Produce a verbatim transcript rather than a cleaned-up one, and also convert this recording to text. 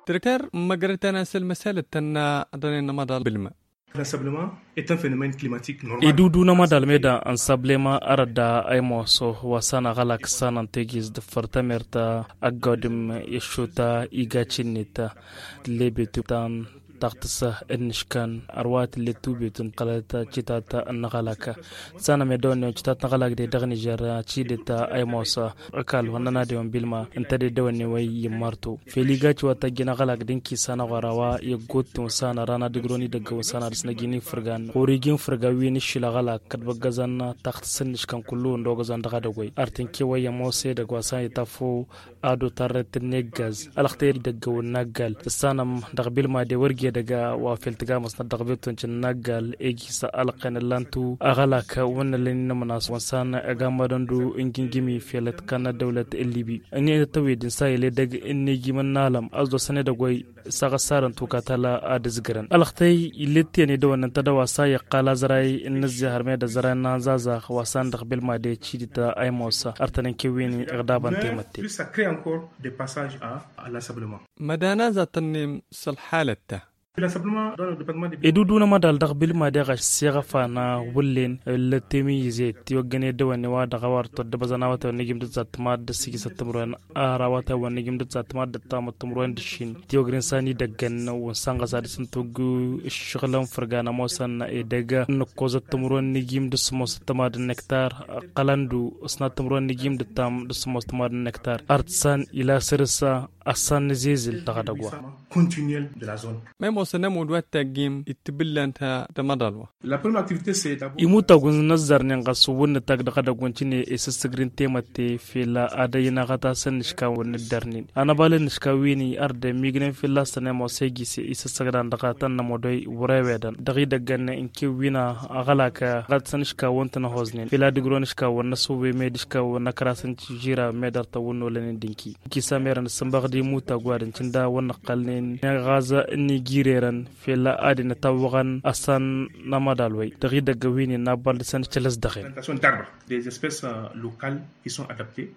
Trekter n-măgrătăn asăl măsalăt tănna dănen n-amăḍal bǝlma. L'ensablement est un phénomène climatique normal. Edudu n-amăḍal meda ănsablema arădda a imoso wa s-anăɣălak s-anăntegiz d-fărtămerta ăggodǝm i-šuta iga cinnet. Tǝllebetu tan taɣtǝsă ǝnnǝškăn ărwa tǝlletu betu n-tălăta citat n-ăɣălak. Sanăm edăwănne wa citat n-ăɣălak de dăɣ-nižer cidǝt a imosa. Ăkall wa n-nănadewăn bilma ǝnta de dăwănne wa i-immartu feliga ciwăt ăjjin ăɣălak d-inki sanăɣora wa i-ăggottǝn wa s-anăra n-ad-ǝgrăwăn idăggăwăn s-anăra d-săn ăjjin ifǝrgan. Ɣur-iji n-ifǝrga wi n-aššil ăɣălak kăt-băggăzăn taɣtǝsăn n-iškăn kullu ăndogăzăn dăɣ-edăgg wa artǝnke wa i-ămoos edăgg wa s-an itafăw. Ad-otarret n-eggaz ălxătăy idăggăwăn n-aggal tǝssanăm dăɣ-bilma de wăr gedăga wa fel tǝgamăsnăt dăɣ-beton cǝnnaggal egisa ălqen ǝllantu ăɣălak wăn ălănin n-amănas wăn s-an ăgammadăn du n-gingimi fel ătkannăt dăwlăt n-libi. Ănni tăwed n-sa iledăg n-egimăn n-alăm ăzdoăsăn edăgg wa i-saɣăssarăn tukatăla ad-ǝzgărăn ălxătăy ilet tiyăn idăwănnăn tădăwa s-a iqqal azăray n-ǝzzihăr med ăzăray n-anzazax wa s-an dăɣ-bilma de cidit a imosa ărtănen kewin iɣdabăn temătte. Plus ça crée encore des passages à à l'ensablement. Mădana za tănnem s-ălxalăt ta. Edudun amădal dăɣ-bilma deɣ ašsiɣăfan wǝllen lăttem i-izet tiwăggăn edăwănne wa dăɣ-a-wa ărtăwăt d-abăzăn awătay wa n-ijim d-ǝzzat tămad d-ǝssǝjǝsăt timǝrwen. Ar awătay wa n-ijim d-ǝzzat tămad d-ăttamăt timǝrwen d-ǝššin tiwăgren s-an idăggăn wa n-sanɣăs ad-dăr-săn togg ǝššăɣǝlăn fărgan ămoosăn edăgg n-ǝkkozăt timǝrwen n-ijim d-ǝssǝmmosăt tămad n-nektar. Ăqqălăn-du ǝsnat timǝrwen n-ijim d-ǝttam d-ǝssǝmmosăt tămad n-nektar ărtǝsăn ila săr-s. Ăssan nǝzezǝl dăɣ-edăgg wa. Continuel de la zone. Ma imoosăn ămudd wa t-tăggim ittǝbǝllan ta d-amăḍal wa. Imutăgg wa n-ăzzărnen ɣas wǝnnǝtăgg dăɣ-edăgg wa n-tinǝy isǝssǝgrin temătte fel ad-ăynăɣăt a-s ǝnnǝška wa n-ǝddărnen anăbal ǝnnǝška wi n-i ărdemmignen fălla-săn ămoos egis isǝssăgdan dăɣ-tăn n-ămodăy wăr-ewedăn dăɣ-idăggăn n-kewwina. Aɣălak ɣad s-ănnǝška wa n-tăn-ăhoznen fel ad-ǝgrǝwăn ǝška wa n-ăsǝwwe med ǝška wa n-ăkrasăn tižira med ărtăwăn n-olănen d-inki. Kisa merăn ǝssǝnbăɣ d-imutag wa d-ǝncǝnda wa n-ăqqălnen n-eɣază n-igirerăn fel ad-inătawwăɣăn ăssan n-amăḍal wa-i dăɣ-idăgg wi n-innă abbal dăr-săn ǝccălăs dăɣ-en. Des espèces locales qui sont adaptées.